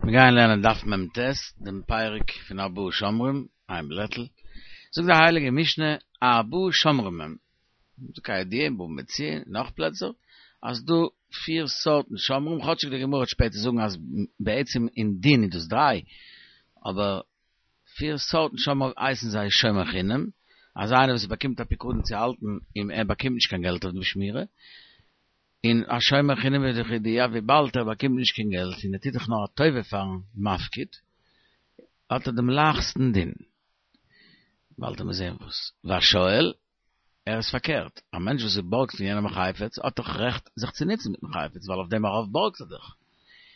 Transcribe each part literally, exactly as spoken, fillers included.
מיר גייען לערנען דף מ"ט, דעם פרק פון ארבעה שומרים, איין בלעטל. זאגט די הייליגע משנה, ארבעה שומרים הם. כידוע אין בבא מציעא און נאך פלעצער, אז דא פיר סארטן שומרים, כאטשיג די גמרא וועט שפעטער זאגן אז בעצם אין דין איז דאס דריי, אבער פיר סארטן שומרים הייסן זיי שומר חינם, אז איינער וואס באקומט א פיקדון צו האלטן און ער באקומט נישט קיין געלט אויף דעם שמירה, און א שומר חינם איז דאך ידוע וויבאלד ער באקומט נישט קיין געלט און ער טוט דאך נאר א טובה פארן מפקיד, האט ער דעם לייכסטן דין. באלד וועט מען זען וואס. והשואל, ער איז פארקערט, א מענטש וואס בארגט פון יענעם א חפץ האט דאך רעכט זיך צו נוצן מיטן חפץ ווייל אויף דעם ארויף בארגט ער דאך,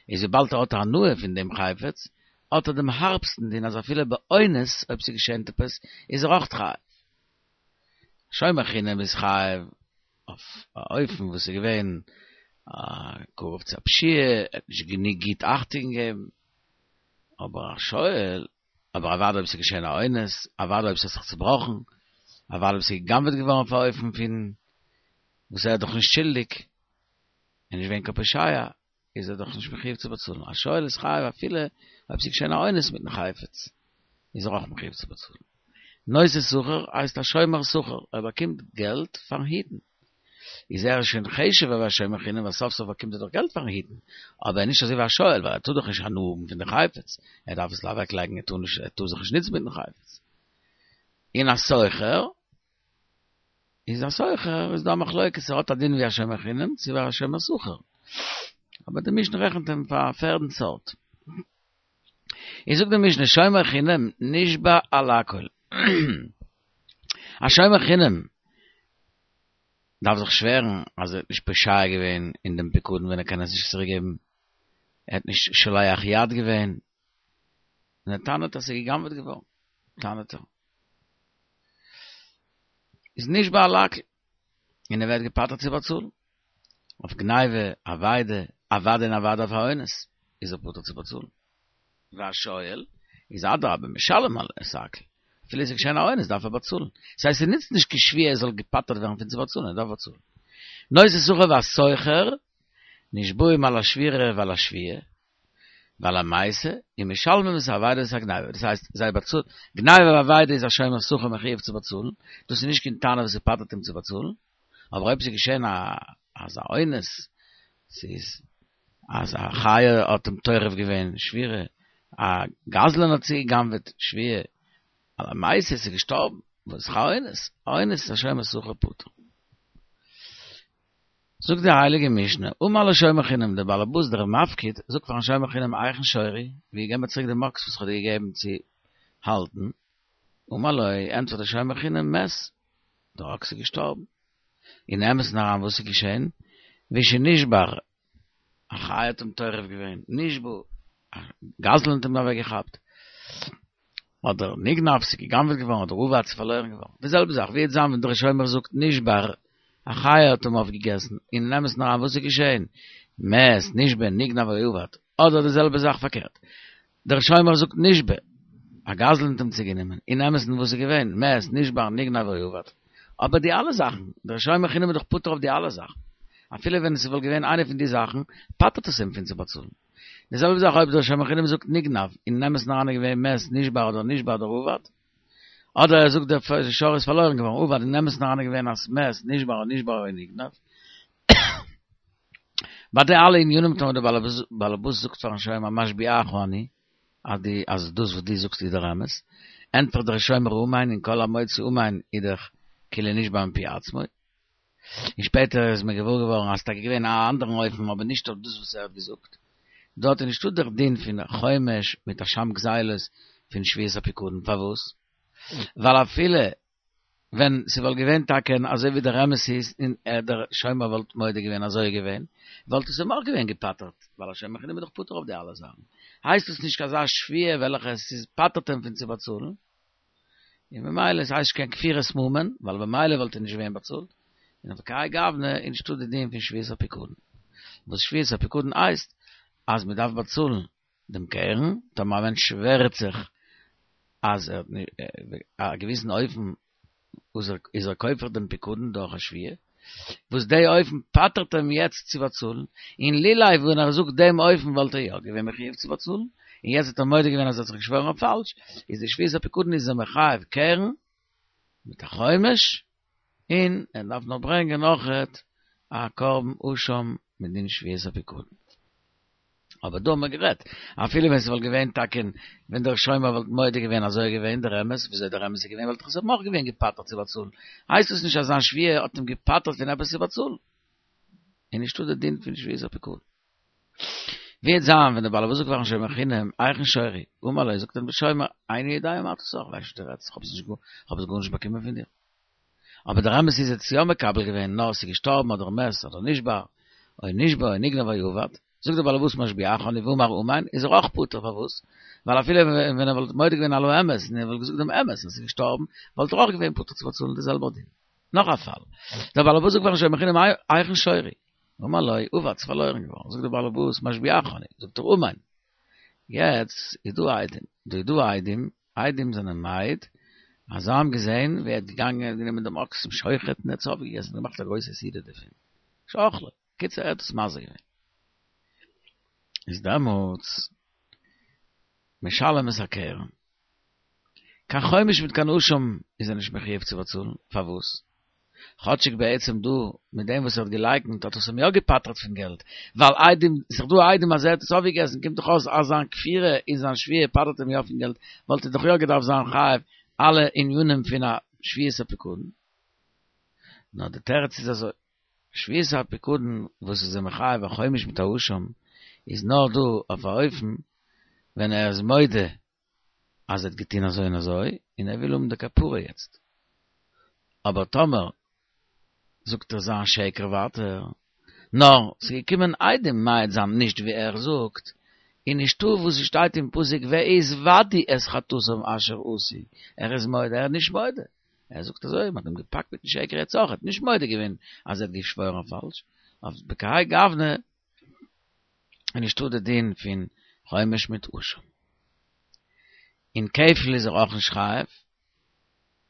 איז וויבאלד ער האט הנאה פון דעם חפץ האט ער דעם הארבסטן דין אז אפילו באונס אויב ס'געשענט עפעס איז ער אויך חייב. שומר חינם איז חייב אויף א אופן וואס איז געווען קרוב צו א פשיעה, ער האט נישט גענוג גוט אכטונג געגעבן, אבער א שואל, אבער אוודאי אויב ס'איז געשען א אונס, אוודאי אויב ס'האט זיך צובראכן, אוודאי אויב ס'איז גע'גנב'עט געווארן אויף א אופן פון וואס ער איז דאך נישט שולדיג, און נישט געווען קיין פושע, איז ער דאך נישט מחויב צו באצאלן. א שואל איז חייב אפילו אויב ס'איז געשען א אונס מיטן חפץ, איז ער אויך מחויב צו באצאלן. נושא שכר הייסט א שומר שכר, ער באקומט געלט פארן היטן. איז ער שוין חשוב'ער ווי א שומר חינם ווייל סוף סוף באקומט ער דאך געלט פארן היטן, אבער נישט אזוי ווי א שואל ווייל ער טאר דאך נישט הנאה האבן פון די חפץ, ער דארף עס אוועקלייגן, ער טאר נישט, ער טאר זיך נישט נוצן מיטן חפץ. און א שוכר איז א שוכר איז דא א מחלוקת ער האט א דין ווי א שומר חינם צו ווי א שומר שכר אבער די משנה רעכנט אים פאר א פערדן סארט איז זאגט די משנה שומר חינם נשבע על הכל א שומר חינם דארף זיך שווערן אז ער האט נישט פושע געווען אין דעם פיקדון ווען ער קען עס נישט צוריק געבן ער האט נישט שולח יד געווען און ער טענה'ט אז ס'איז גע'גנב'עט געווארן טענה'ט ער איז נשבע על הכל, און ער ווערט געפטר'ט צו באצאלן. אויף גניבה, אבידה, אוודאי און אוודאי אויף א אונס, איז ער פטור צו באצאלן. והשואל, איז אדרבה משלם על את הכל, אפילו עס איז געשען א אונס דארף ער באצאלן. ס'הייסט ס'נוצט נישט קיין שבועה ער זאל געפטר'ט ווערן פון צו באצאלן, ער דארף באצאלן. נושא שכר והשוכר, נשבעים על השבירה ועל השבועה, ועל המיתה, ומשלמים את האבידה ואת הגניבה, דאס הייסט זיי באצאלן, גניבה ואבידה איז א שומר שכר מחויב צו באצאלן, דאס איז נישט קיין טענה וואס ס'פטר'ט אים צו באצאלן, אבער אויב ס'איז געשען א אזא אונס, ס'איז אז א חיה האט אים טורף געווען, שבירה, א גזלן האט צוגע'גנב'עט, שבועה, על המיתה ס'איז געשטארבן, וואס איז א אונס, א אונס איז א שומר שכר פטור. זאגט די הייליגע משנה, אמר לשומר חינם, דער באלעבאס דער מפקיד זאגט פארן שומר חינם היכן שורי, ווי געב מיר צוריק דעם אקס וואס איך האב דיר געגעבן צו האלטן, אמר לו, ענטפערט דער שומר חינם, מת, דער אקס איז געשטארבן. אין אמת'ן אריין וואס איז געשען? והוא שנשבר, א חיה האט אים טורף געווען, נשבה, א גזלן האט אים אוועקגעכאפט, אדער נגנב, ס'איז גע'גנב'עט געווארן, אדער אבד, ס'איז פארלוירן געווארן. די זעלבע זאך, ווי וועט זיין ווען דער שומר זאגט נשבר, א חיה האט אים אויפגעגעסן, און אין אמת'ן אריין וואס איז געשען? מת, נשבה, נגנב או אבד. אדער די זעלבע זאך פארקערט, דער שומר זאגט נשבה, א גזלן האט אים צוגענומען, אין אמת'ן וואס איז געווען? מת, נשבר, נגנב או אבד. אבער די אלע זאכן, דער שומר חינם איז דאך פטור אויף די אלע זאכן. אפילו ווען עס וואלט געווען איינע פון די זאכן, פטר'ט עס אים פון צו באצאלן. די זעלבע זאך אויב דער שומר חינם זאגט נגנב, אין אמת'ן אריין איז געווען מת, נשבר אדער נשבה אדער אבד, אדער ער זאגט דער שור איז פארלוירן געווארן, אבד, אין אמת'ן אריין איז געווען אז מת, נשבר אדער נשבה אדער נגנב. ביי די אלע ענינים טאמער דער בעל הבית זאגט פארן שומר משביעך אני, אז די אז דאס וואס דו זאגסט איז דער אמת, ענטפערט דער שומר אמן און כל המוציא אמן איז דאך כאילו נשבע מפי עצמו. און שפעטער איז מען געוואר געווארן אז ס'טאקע געווען א אנדערן אופן אבער נישט אויף דאס וואס ער האט געזאגט. דארט איז נישטא דער דין פון חומש מיט אשם גזילות פון שבועת הפיקדון. פארוואס? ווייל אפילו ווען ס'וואלט געווען טאקע אזוי ווי דער אמת איז און ער דער שומר וואלט מודה געווען אזוי איז געווען, וואלט עס אים אויך געווען געפטר'ט, ווייל א שומר חינם איז דאך פטור אויף די אלע זאכן. הייסט עס נישט אזא שבועה וועלכע עס איז פטר'ט אים פון צו באצאלן. און ממילא עס הייסט נישט קיין כפירת ממון, ווייל במילא וואלט ער נישט געווען באצאלט, און אויף כהאי גוונא איז נישטא די דין פון שבועת הפיקדון. וואס שבועת הפיקדון הייסט אז מען דארף באצאלן דעם קרן, טאמער א מענטש שווערט זיך אז ער האט א געוויסן אופן איז ער כופר דעם פיקדון דורך א שבועה, וואס די אופן פטר'ט אים יעצט צו באצאלן, און לולא ווען ער זאגט דעם אופן וואלט ער יא געווען מחויב צו באצאלן, און יעצט האט ער מודה געווען אז ער האט זיך געשוואוירן אויף פאלש, איז די שבועת הפיקדון איז ער מחייב קרן מיט א חומש, און ער דארף נאך ברענגען אויכעט א קרבן אשם מדין שבועת הפיקדון. אבער דא האבן מיר גערעדט, אפילו ווען ס'וואלט געווען טאקע ווען דער שומר וואלט מודה געווען אזוי איז געווען דער אמת, וויאזוי דער אמת איז געווען וואלט ער זיך אויך געווען געפטר'ט צו באצאלן, הייסט עס נישט אז זיין שבועה האט אים געפטר'ט פון עפעס צו באצאלן. איז נישטא די דין פון שבועת הפיקדון. ווי וועט זיין ווען דער בעל הבית זאגט פארן שומר חינם, היכן שורי? אמר לו, זאגט אים דער שומר, איני יודע מה אתה סח, כ'ווייס נישט וואס דו רעדסט, כ'האב עס נישט כ'האב עס גארנישט באקומען פון דיר. אבער דער אמת איז ער האט עס יא מקבל געווען, נאר עס איז געשטארבן אדער מת אדער נשבר, או נשבה או נגנב או אבד, זאגט דער בעל הבית משביעך אני ואמר אמן, איז ער אויך פטור, פארוואס? ווייל אפילו ווען ער וואלט מודה געווען על האמת און ער וואלט געזאגט דעם אמת אז עס איז געשטארבן, וואלט ער אויך געווען פטור צו באצאלן די זעלבער דין. נאך א פאל, דער בעל הבית זאגט פארן שומר חינם היכן שורי? אמר לו, אבד, ס'איז פארלוירן געווארן, זאגט דער בעל הבית משביעך אני, זאגט ער אמן. יעצט איז דא עדים, דא איז דא עדים, עדים זענען מעיד אז זיי האבן געזען ווי ער האט געגאנגען, ער האט גענומען דעם אקס צום שוחט און ער האט עס אויפגעגעסן און געמאכט א גרויסע סעודה דערפון, שאכלו, קיצור ער האט עס מזיק געווען. איז דעמאלטס משלם את הקרן. קיין חומש מיט קיין אשם איז ער נישט מחויב צו באצאלן, פארוואס? כאטשיג בעצם דא מיט דעם וואס ער האט געלייקנט האט עס אים יא געפטר'ט פון געלט, ווייל עדים, ס'איז דאך דא עדים אז ער האט עס אויפגעגעסן, קומט דאך אויס אז זיין כפירה און זיין שבועה פטר'ט אים יא פון געלט, וואלט ער דאך יא געדארפט זיין חייב אלע ענינים פון א שבועת הפיקדון. נאר די תירוץ איז אזוי, שבועת הפיקדון וואס איז אים מחייב א חומש מיט א אשם איז נאר דא אויף א אופן ווען ער איז מודה אז ער האט געטון אזוי און אזוי און ער וויל האבן די כפרה יעצט, אבער טאמער זאגט ער זיין שקר ווייטער, נאר ס'איז געקומען עדים מעיד זיין נישט ווי ער זאגט, און נישטא וואס ס'שטייט אין פסוק והתודו את חטאתם אשר עשו, ער איז מודה, ער איז נישט מודה, ער זאגט אזוי, מ'האט אים געפאקט מיטן שקר יעצט אויך, ער האט נישט מודה געווען אז ער האט געשוואוירן אויף פאלש, אויף בכהאי גוונא איז נישטא די דין פון חומש מיט אשם. און כפל איז ער אויך נישט חייב,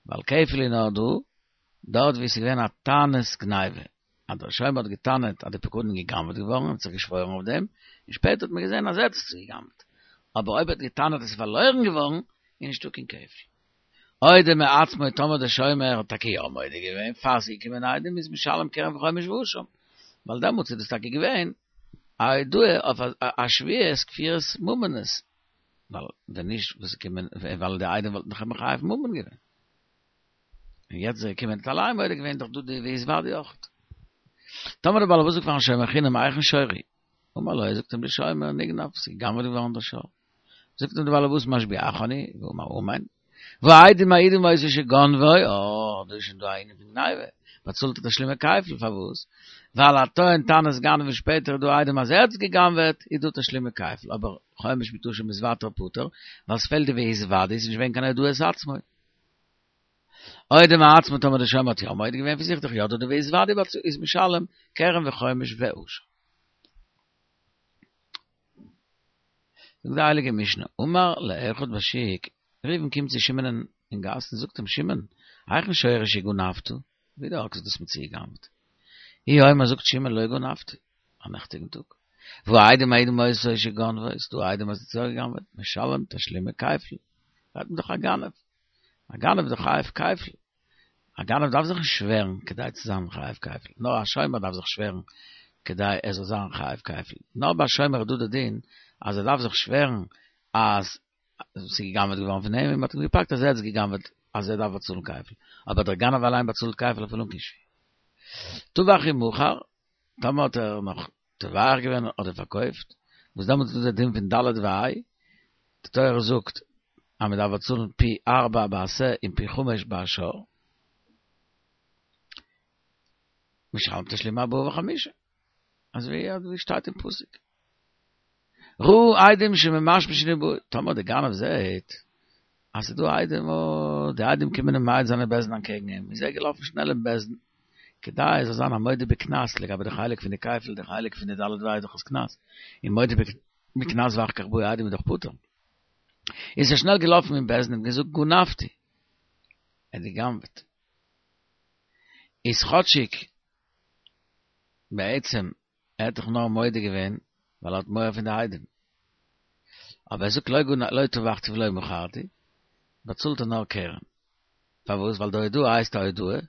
ווייל כפל איז נאר דא דארט ווי עס איז געווען א טענת גניבה, אז דער שומר האט געטענה'ט אז די פקדון איז גע'גנב'עט געווארן און האט זיך געשוואוירן אויף דעם, און שפעטער האט מען געזען אז ער האט עס צוגע'גנב'עט. אבער אויב ער האט געטענה'ט אז עס איז פארלוירן געווארן, איז נישטא קיין כפל. הודה מעצמו טאמער דער שומר האט טאקע יא מודה געווען פאר ס'איז געקומען עדים איז משלם קרן וחומש ואשם, ווייל דעמאלטס איז דאס טאקע געווען א הודאה אויף א שבועת כפירת ממונות, ווייל ווען נישט וואס איז געקומען ווייל די עדים וואלטן דאך מחייב ממון געווען. און יעצט איז ער געקומען האט אליין מודה געווען דאך דא די והתודו אויך. טאמער דער בעל הבית זאגט פארן שומר חינם היכן שורי? אמר לו זאגט אים דער שומר נגנב ס'איז גע'גנב'עט געווארן דער שור. זאגט אים דער בעל הבית משביעך אני ואמר אמן והעדים מעידים אותו שגנבו, אה, דא איז שוין דא א ענין פון גניבה, באצאלט ער תשלומי כפל, פארוואס? ווייל א טוען טענת גנב און שפעטער איז דא עדים אז ער האט עס גע'גנב'עט, איז דא תשלומי כפל, אבער חומש מיט אשם איז ווייטער פטור, ווייל ס'פעלט די והתודו, ס'איז נישט געווען קיין הודאת עצמו. הודה מעצמו טאמער דער שומר האט יא מודה געווען פון זיך דאך יא דא די והתודו איז משלם קרן וחומש ואשם. זאגט די הייליגע משנה, אמר לאחד בשוק, ראובן קומט צו שמעונ'ען אין גאס און זאגט אים, שמעון, היכן שורי שגנבת? ווי די אקס דו האסט מיר צוגע'גנב'ט? הוא אומר זאגט שמעון לא גנבתי, א נעכטיגן טאג. והעדים מעידים אותו שגנבו, איז דא עדים אז ער האט יא גע'גנב'עט, משלם תשלומי כפל, רעדט מען דאך א גנב, א גנב איז דאך חייב כפל, א גנב דארף זיך נישט שווערן כדי צו זיין חייב כפל, נאר א שומר דארף זיך שווערן כדי ער זאל זיין חייב כפל, נאר ביי א שומר איז דא די דין אז ער דארף זיך שווערן אז ס'איז גע'גנב'עט געווארן פון אים און מ'האט אים געפאקט אז ער האט עס גע'גנב'עט אז ער דארף באצאלן כפל, אבער דער גנב אליין באצאלט כפל אפילו אן קיין שבועה. טבח ומכר, טאמער האט ער נאך טובח געווען אדער פארקויפט, וואס דעמאלטס איז דא די דין פון ד' וה', די תורה זאגט אז מען דארף באצאלן פי ארבע בשה און פי חמש בשור, משלם תשלומי ארבעה וחמישה, אזוי ווי שטייט אין פסוק. ראה עדים שממשמשין ובא, טאמער די גנב זעהט אז ס'איז דא עדים, אוי, די עדים קומען אים מעיד זיין אין בית דין אנטקעגן אים, איז ער געלאפן שנעל אין בית דין, כדי ער זאל זיין א מודה בקנס לגבי די חלק פון די כפל, די חלק פון די ד' וה' איז דאך עס קנס, און מודה בקנס ואחר כך באו עדים איז דאך פטור. איז ער שנעל געלאפן אין בית דין און געזאגט גנבתי, ער האט גע'גנב'עט. איז כאטשיג בעצם, ער האט דאך נאר מודה געווען, ווייל ער האט מורא פון די עדים. אבער ער זאגט לא גנ לא טבחתי ולא מכרתי, באצאלט ער נאר קרן. פארוואס? ווייל די הודאה הייסט א הודאה,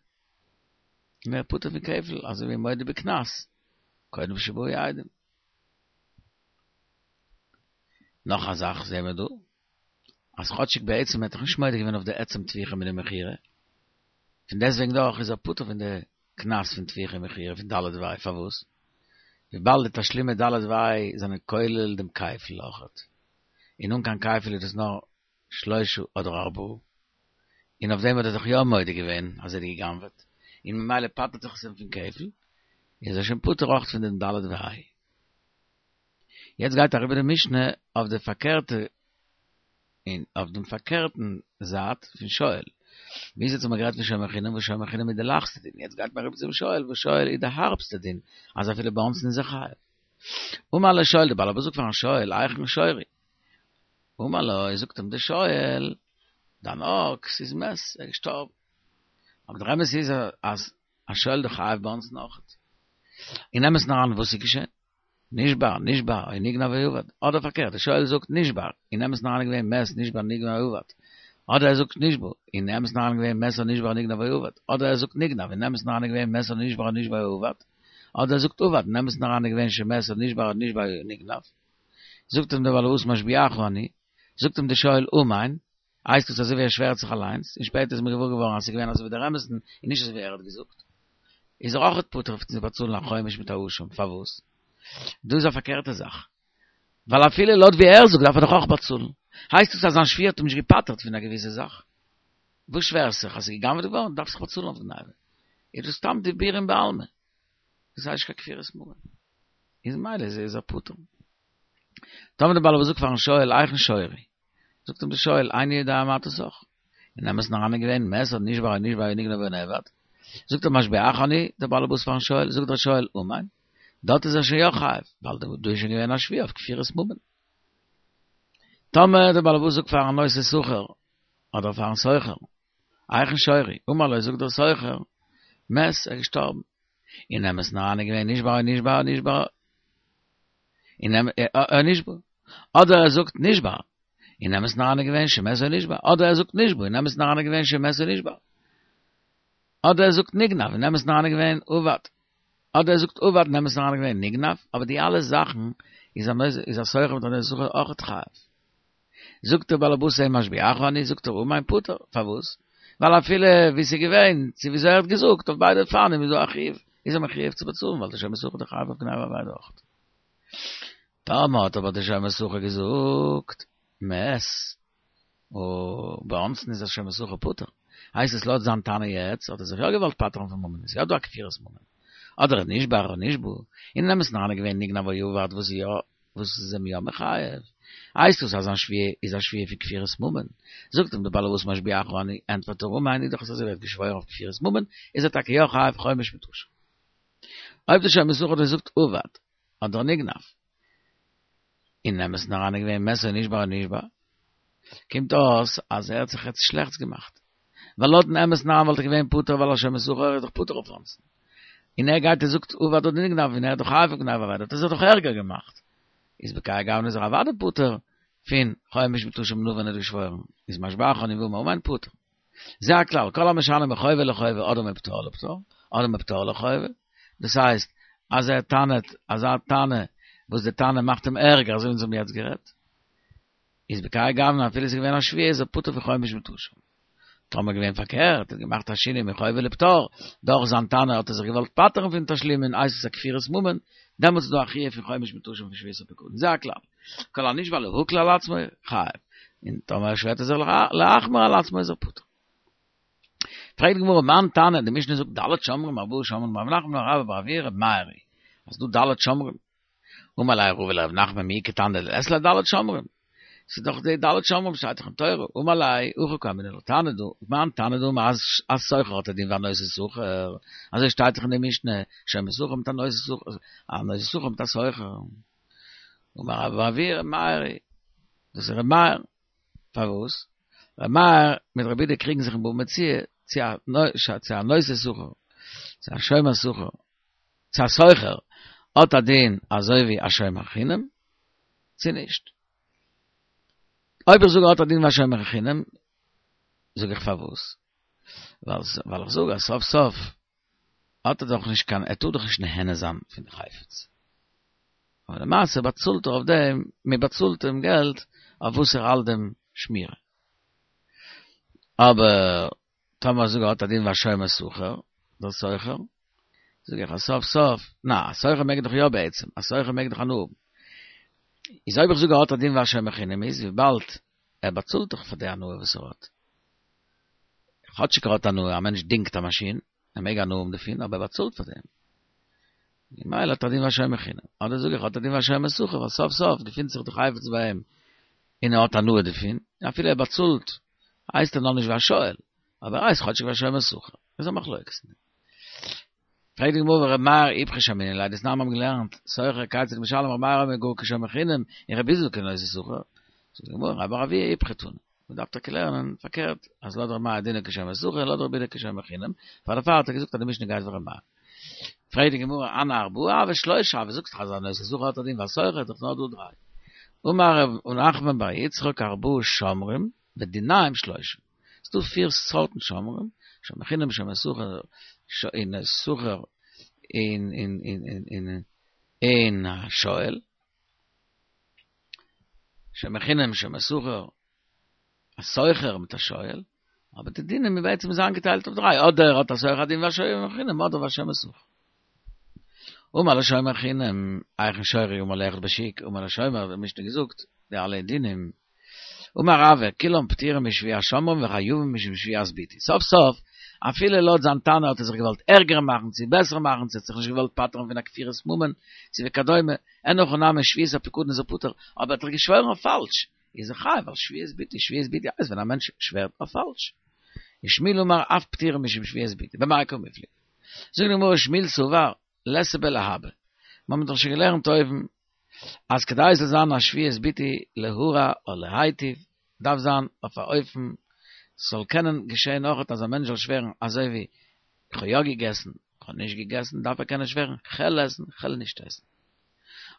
און ער איז פטור פון כפל, אזוי ווי מודה בקנס, קודם שבאו עדים. נאך א זאך זעהן מיר דא, אז כאטשיג בעצם האט ער דאך נישט מודה געווען אויף די עצם טביחה מיט די מכירה, פון דעסטוועגן דאך איז ער פטור פון די קנס פון טביחה און מכירה פון ד' וה', פארוואס? וויבאלד די תשלומי ד' וה' זענען כולל דעם כפל אויכעט, און אן קיין כפל איז דאס נאר שלושה אדער ארבעה, און אויף דעם האט ער זיך יא מודה געווען אז ער האט גע'גנב'עט, און ממילא פטר'ט זיך עס אים פון כפל, איז ער שוין פטור אויך פון דעם ד' וה'. יעצט גייט אריבער די משנה אויף די פארקערטע און אויף דעם פארקערטן זייט פון שואל. ביז יעצט האט מען גערעדט פון שומר חינם וואס שומר חינם איז די לייכסטע דין, יעצט גייט מען אריבער צום שואל וואס שואל איז די הארבסטע דין, אז אפילו באונסין איז ער חייב. אמר לשואל, די בעל הבית זאגט פארן שואל, היכן שורי? אמר לו, זאגט אים די שואל, דיין אקס איז מת, ער איז געשטארבן. אבער דער אמת איז אז א שואל איז דאך חייב באונסין אויכעט. אין אמת'ן אריין וואס איז געשען? נשבר, נשבה, או נגנב או אבד. אדער פארקערט, די שואל זאגט נשבר, אין אמת'ן אריין געווען מת, נשבר, נגנב או אבד. אדער ער זאגט נשבה, אין אמת'ן אריין געווען מת או נשבר נגנב או אבד. אדער ער זאגט נגנב, אין אמת'ן אריין געווען מת או נשבר נשבה או אבד. אדער ער זאגט אבד, אין אמת'ן אריין געווען שמת או נשבר נשבה או נגנב. זאגט אים דער בעל הבית משביעך אני, זאגט אים די שואל אמן, הייסט עס אזוי ווי ער שווערט זיך אליינס, און שפעטער איז מען געוואר געווארן אז ס'איז געווען אזוי ווי דער אמת'ן און נישט אזוי ווי ער האט געזאגט, איז ער אויכעט פטור פון צו באצאלן א חומש מיט א אשם, פארוואס? דא איז א פארקערטע זאך, ווייל אפילו לויט ווי ער זאגט דארף ער דאך אויך באצאלן, הייסט עס אז זיין שבועה האט אים נישט געפטר'ט פון א געוויסע זאך? וואס שווערסט זיך? אז ס'איז גע'גנב'עט געווארן דארפסט זיך באצאלן אויף גניבה, איז דאס סתם דיבורים בעלמא, דאס הייסט נישט קיין כפירת ממון, איז ממילא איז ער פטור. טאמער דער בעל הבית זאגט פארן שואל היכן שורי, זאגט אים דער שואל איני יודע מה אתה שח, אין אמת'ן אריין איז געווען מת או נשבר או נגנב או נגנב או נאבד, זאגט ער משביעך אני, דער בעל הבית פארן שואל, זאגט דער שואל אמן, דארט איז ער שוין יא חייב, ווייל דא איז שוין געווען א שבועה אויף כפירת ממון. טאמער דער בעל הבית זאגט פארן נושא שכר, אדער פארן שוכר, היכן שורי, אמר לו זאגט דער שוכר, מת, ער איז געשטארבן. אין אמת'ן אריין איז געווען נשבר או נשבה או נשבה אין או נשבה אדער ער זאגט נשבר אין אמת'ן אריין איז געווען שמת או נשבה אדער ער זאגט נשבה אין אמת'ן אריין איז געווען שמת או נשבר אדער ער זאגט נגנב אין אמת'ן אריין איז געווען אבד אדער ער זאגט אבד אין אמת'ן אריין איז געווען נגנב אבער די אלע זאכן איז א איז א שוכר מיט א נושא שכר אויכעט חייב זאגט דער בעל הבית אים משביעך אני זאגט ער אמן פטור פארוואס ווייל אפילו ווי ס'איז געווען צו וויאזוי ער האט געזאגט אויף ביידע אופנים איז דא א חיוב איז ער מחויב צו באצאלן ווייל דער שומר שכר איז דאך חייב אויף גניבה ואבידה אויך. טאמער האט אבער דער שומר שכר געזאגט מת און באונסין איז דער שומר שכר פטור הייסט עס לויט זיין טענה יעצט האט ער זיך יא געוואלט פטר'ן פון ממון איז יא דא א כפירת ממון אדער נשבר או נשבה אין אמת'ן אריין איז געווען נגנב או אבד וואס איז יא וואס איז אים יא מחייב? הייסט דאס אז זיין שבועה איז א שבועה פון כפירת ממון? זאגט אים דער בעל הבית משביעך אני, ענטפערט ער אמן, איז דאך עס אזוי ווי ער האט געשוואוירן אויף כפירת ממון, איז ער טאקע יא חייב חומש מיט אשם. אויב דער שומר שכר האט געזאגט אבד, אדער נגנב, אין אמת'ן אריין איז געווען מת או נשבר או נשבה, קומט אויס אז ער האט זיך יעצט שלעכטס געמאכט. ווייל לויטן אמת'ן אריין וואלט ער געווען פטור ווייל א שומר שכר איז דאך פטור אויף אונסין. און ער גייט און זאגט אבד אדער נגנב און ער איז דאך חייב אויף גניבה ואבידה האט ער זיך דאך ערגער געמאכט. איז בכהאי גוונא איז ער אוודאי פטור פון חומש מיט אשם נאר ווען ער האט געשוואוירן איז משביעך אני ואמר אמן פטור. זה הכלל, כל המשנה מחובה לחובה אדער מפטור לפטור, אדער מפטור לחובה, דאס הייסט אז ער טענה'ט אזא טענה וואס די טענה מאכט אים ערגער אזוי ווי אונז האבן יעצט גערעדט. איז בכהאי גוונא אפילו ס'איז געווען א שבועה איז ער פטור פון חומש מיט אשם. טאמער געווען פארקערט, האט געמאכט א שינוי מחובה לפטור, דורך זיין טענה האט ער זיך געוואלט פטר'ן פון תשלומין, הייסט עס א כפירת ממון, דעמאלטס איז דא א חיוב פון חומש מיט אשם פון שבועת הפקדון. זה הכלל. כל הנשבע להקל על עצמו, חייב. און טאמער שווערט ער זיך להחמיר על עצמו איז ער פטור. פרעגט די גמרא מאן תנא, די משנה זאגט ד' שומרים ארבעה שומרים רב נחמן אמר רבה בר אבוה ר' מאיר היא, אז ס'דא ד' שומרים, אמר ליה רבא לרב נחמן מי איכא תנא דלית ליה ד' שומרים? ס'איז דאך די ד' שומרים שטייט דאך אין תורה, אמר ליה הכי קאמינא לה תנא דא, מאן תנא דאמר אז א שוכר האט א דין ווי א נושא שכר, אזוי שטייט דאך אין די משנה, שומר שכר מיט א נושא שכר, א נושא שכר מיט א שוכר. אמר רבה בר אבוה ר' מאיר היא, דאס איז ר' מאיר, פארוואס? ר' מאיר מיט רבי יהודה קריגן זיך אין בבא מציעא צו א נושא שכר, צו א שומר שכר. צו א שוכר האט א דין אזוי ווי א שומר חינם, צו נישט. אויב איך זאג האט א דין ווי א שומר חינם, זאג איך פארוואס? ווייל איך זאג אז סוף סוף האט ער דאך נישט קיין, ער טאר דאך נישט נהנה זיין פון די חפץ. אבער למעשה באצאלט ער אויף דעם, מען באצאלט אים געלט אויף וואס ער האלט דעם שמירה. אבער טאמער זאג איך האט א דין ווי א שומר שכר, דער שוכר, זאג איך אז סוף סוף, נא, א שוכר מעג דאך יא בעצם, א שוכר מעג דאך הנאה האבן. איז אויב איך זאג ער האט א דין ווי א שומר חינם איז וויבאלד ער באצאלט דאך פאר די הנאה וואס ער האט. כאטשיג ער האט הנאה, א מענטש דינגט א מאשין, ער מעג הנאה האבן דערפון, אבער ער באצאלט פאר דעם. ממילא האט ער א דין ווי א שומר חינם. אדער זאג איך האט א דין ווי א שומר שכר, ווייל סוף סוף געפינט זיך די חפץ ביי אים און ער האט הנאה דערפון, אפילו ער באצאלט הייסט ער נאכנישט ווי א שואל, אבער ער הייסט כאטשיג ווי א שומר שכר. איז א מחלוקת אין דעם. פרעגט די גמרא ור' מאיר איפכא שמעינן ליה, דתנן מיר האבן געלערנט, שוכר כיצד משלם ר' מאיר אומר גאר כשומר חינם, און רבי איסי כנושא שכר. זאגט די גמרא רבה בר אבוה איפכא תנא. מען דארף טאקע לערנען פארקערט, אז לויט ר' מאיר דינו כשומר שכר און לויט רבי יהודה כשומר חינם, פאר דערפאר האט ער געזאגט אז די משנה גייט ווי ר' מאיר. פרעגט די גמרא הני ארבעה הוו שלושה הוו, זאגסט דאך אז א נושא שכר האט א דין ווי א שוכר איז דאך נאר דא דריי. אמר רב נחמן בר יצחק ארבעה שומרים ודיניהם שלושה. ס'דא פיר סארטן שומרים, שומר חינם, שומר שכר, און שוכר, און און און און און א שואל. שומר חינם, שומר שכר, א שוכר מיט א שואל, אבער די דינים איז בעצם איז איינגעטיילט אויף דריי, אדער האט א שוכר א דין ווי א שומר חינם, אדער ווי א שומר שכר. אמר לשומר חינם, היכן שורי אמר לו אחד בשוק, אמר לשומר, די משנה געזאגט, די אלע דינים, אמר רבא, כולם פטורים משבועת שומרים וחייבים משום שבועת ביטוי. סוף סוף, אפילו לויט זיין טענה האט ער זיך געוואלט ערגער מאכן צו בעסער מאכן, צו האט זיך נישט געוואלט פטר'ן פון א כפירת ממון, צו וכדומה, אין הכי נמי שבועת הפיקדון איז ער פטור, אבער האט ער געשוואוירן אויף פאלש, איז ער חייב ווייל שבועת ביטוי, שבועת ביטוי הייסט ווען א מענטש שווערט אויף פאלש. ושמואל אמר אף פטורים משום שבועת ביטוי, במאי קמיפלגי. זאגט די גמרא שמואל סבר ליתא בלהבא. מיר האבן דאך שוין געלערנט אויבן אז כדי עס זאל זיין א שבועת ביטוי להרע או להיטיב דארף זיין אויף א אופן ס'זאל קענען געשען אויכעט אז א מענטש זאל שווערן אזוי ווי איך האב יא געגעסן, איך האב נישט געגעסן דארף ער קענען שווערן כ'על עסן, כ'על נישט עסן.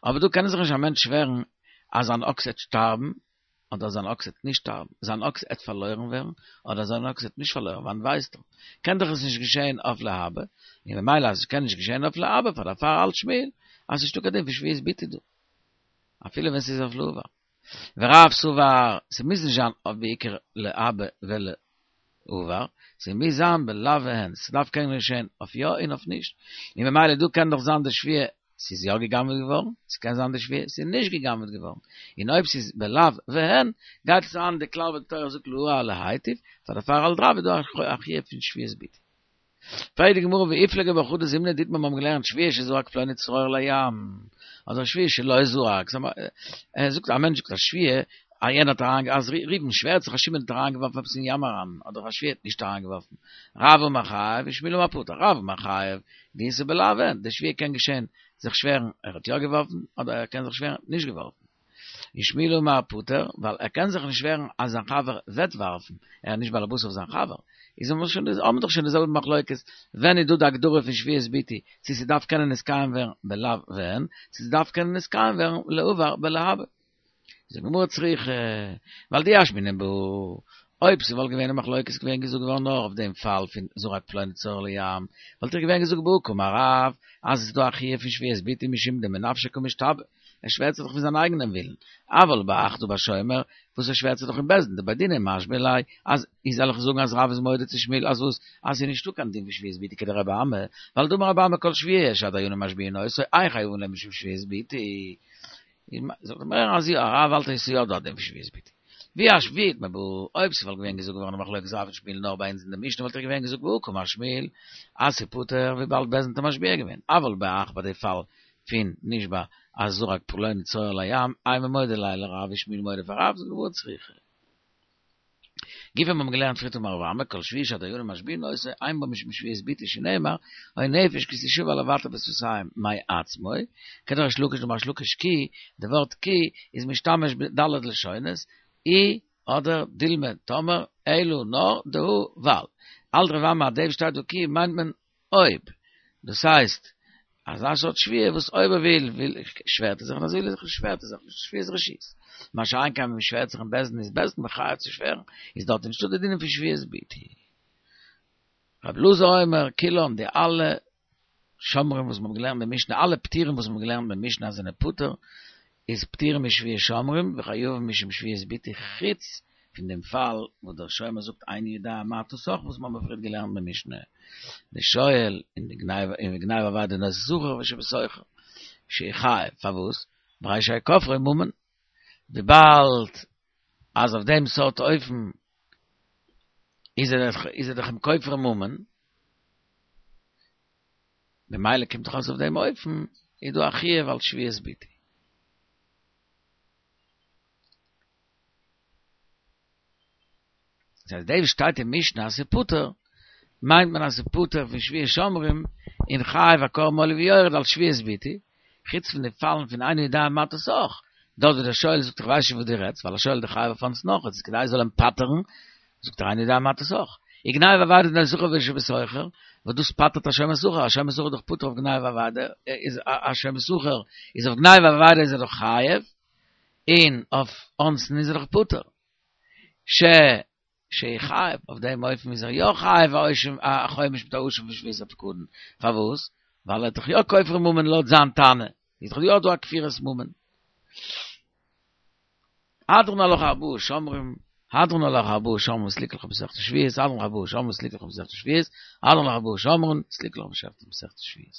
אבער דא קען זיך נישט א מענטש שווערן אז זיין אקס עט שטארבן אדער זיין אקס עט נישט שטארבן, זיין אקס עט פארלוירן ווערן אדער זיין אקס עט נישט פארלוירן, וואנעט ווייסט ער? קען דאך עס נישט געשען אויף להבא, און ממילא אז עס קען נישט געשען אויף להבא פאר דערפאר האלט שמואל אז ס'נישטא קיין דין פון שבועת ביטוי דא, אפילו ווען ס'איז אויף לעבר. ורב סבר, ס'מוז נישט זיין אויף בעיקר להבא ולעבר, ס'מוז זיין בלאו והן, ס'דארף קענען געשען אויף יא און אויף נישט, און ממילא דא קען דאך זיין די שבועה ס'איז יא גע'גנב'ט געווארן, ס'קען זיין די שבועה ס'איז נישט גע'גנב'ט געווארן, און אויב ס'איז בלאו והן, גייט עס אן די כלל וואס די תורה זאגט להרע ולהיטיב, פאר דערפאר האלט רב איז דא א חיוב פון שבועת ביטוי. פרעגט די גמרא ואיפליגו בה חדא זימנא דאיתמר מיר האבן געלערנט שבועה שזרק פלוני צרור לים, אדער שבועה שלא זרק, ער זאגט א מענטש זאגט א שבועה אז יענער האט אריין אז ראובן שווערט זיך אז שמעון האט אריינגעווארפן עפעס אין ים אריין, אדער א שבועה האט נישט אריינגעווארפן, רב אמר חייב ושמואל אמר פטור, רב אמר חייב, דאיתא בלאו והן, די שבועה קען געשען זיך שווערן ער האט יא געווארפן, אדער ער קען זיך שווערן נישט געווארפן. און שמואל אמר פטור, ווייל ער קען זיך נישט שווערן אז זיין חבר וועט ווארפן, ער איז נישט באלעבאס אויף זיין חבר. איז האבן מיר שוין האבן מיר דאך שוין די זעלבע מחלוקת, ווען איז דא די הגדרה פון שבועת ביטוי, צו ס'דארף קענען נתקיים ווערן בלאו והן, צו ס'דארף קענען נתקיים ווערן לעבר בלהבא. זאגט די גמרא צריכא, ווייל דאי אשמעינן בהא, אויב ס'וואלט געווען א מחלוקת געווען געזאגט געווארן נאר אויף דעם פאל פון זרק פלוני צרור לים, וואלט איך געווען געזאגט בהא קאמר רב, אז עס איז דא א חיוב פון שבועת ביטוי משום דמנפשיה קא משתבע, ער שווערט זיך דאך פון זיין אייגענעם ווילן, אבל בהך דא בשומר, וואס ער שווערט זיך דאך אין בית דין, דבי דינא משביע ליה, אז איז זאל איך זאגן אז רב איז מודה צו שמואל אז וואס, אז ס'איז נישטא קיין דין פון שבועת ביטוי כדרבי אמי, ווייל דאמר רבי אמי כל שבועה שהדיינים משביעין אותו, אין חייבין עליה משום שבועת ביטוי. זאגט די גמרא אז יא, רב האלט אז ס'איז יא דא א דין פון שבועת ביטוי. ואי אשמעינן בהא, אויב ס'וואלט געווען געזאגט געווארן א מחלוקת רב און שמואל נאר ביי אונז אין די משנה וואלט איך געווען געזאגט בהא קאמר שמואל אז ס'פטור וויבאלד בית דין האט משביע געווען, אבל בהך ביי די פאל פון נשבע אז זרק פלוני צרור לים, אימא מודה ליה לרב איז שמואל מודה פאר רב, זאגט די גמרא צריכא. גופא מיר האבן געלערנט פריערט אמר רבי אמי כל שבועה שהדיינים משביעין אותו אין בה משום שבועת ביטוי שנאמר או נפש כי תשבע לבטא בשפתים מעצמו כדריש לקיש דאמר ריש לקיש כי די ווארט כי איז משתמש בד' לשונות אי אדער דילמא טאמער אלא נאר דהא ווייל האלט רבי אמי אז דעם שטייט דא כי מיינט מען אויב דאס הייסט אזא סארט שבועה וואס אויב ער וויל, וויל, שווערט ער זיך, און אז ער וויל זיך נישט, שווערט ער זיך נישט. שבועת רשות. מה שאין כן ווען מ'שווערט זיך אין בית דין איז בית דין מחייב צו שווערן, איז דארט נישטא די דינים פון שבועת ביטוי. רבי אלעזר אומר, כולם, די אלע שומרים וואס מ'האט געלערנט אין משנה, אלע פטורים וואס מ'האט געלערנט אין משנה אז זענען פטור, איז פטורים משבועת שומרים וחייבים משום שבועת ביטוי חוץ פון דעם פאל וואס דער שומר זאגט איני יודע מה אתה סח וואס מ'האט פריער געלערנט אין משנה, די שואל און די גניבה און וגניבה אבידה דנושא שכר ושבשוכר שיחייב, פארוואס? והרי שכופרו ממון, וויבאלד אז אויף דעם סארט אופן איז ער דאך איז ער דאך אים כופר ממון, במילא קומט דאך אויס אויף דעם אופן איז דא א חיוב אלס שבועת ביטוי. דאס הייסט דאס שטייט אין משנה אז ס'איז פטור, מיינט מען אז ס'איז פטור פון שבועת שומרים און חייב א קרבן עולה ויורד אלס שבועת ביטוי, חוץ פון די פאלן פון איני יודע מה אתה סח, דארט ווי דער שואל זאגט איך ווייס נישט וואס דו רעדסט, ווייל א שואל איז דאך חייב אויף אונסין אויך, איז כדי ער זאל אים פטר'ן, זאגט ער איני יודע מה אתה סח. וגניבה ואבידה דנושא שכר ושבשוכר, וואס דאס פטר'ט א שומר שכר, א שומר שכר איז דאך פטור אויף גניבה ואבידה, איז א שומר שכר איז אויף גניבה ואבידה איז ער דאך חייב, און אויף אונסין איז ער דאך פטור. ש שיחייב, אויף דעם אופן איז ער יא חייב א חומש מיט א אשם פון שבועת הפקדון. פארוואס? ווייל ער האט דאך יא כופר ממון לויט זיין טענה, איז דאך יא דא א כפירת ממון. הדרן עלך ארבעה שומרים, הדרן עלך ארבעה שומרים סליקה לך במסכת שבועות, הדרן עלך ארבעה שומרים סליקה לך במסכת שבועות, הדרן עלך ארבעה שומרים סליקה לך במסכת שבועות.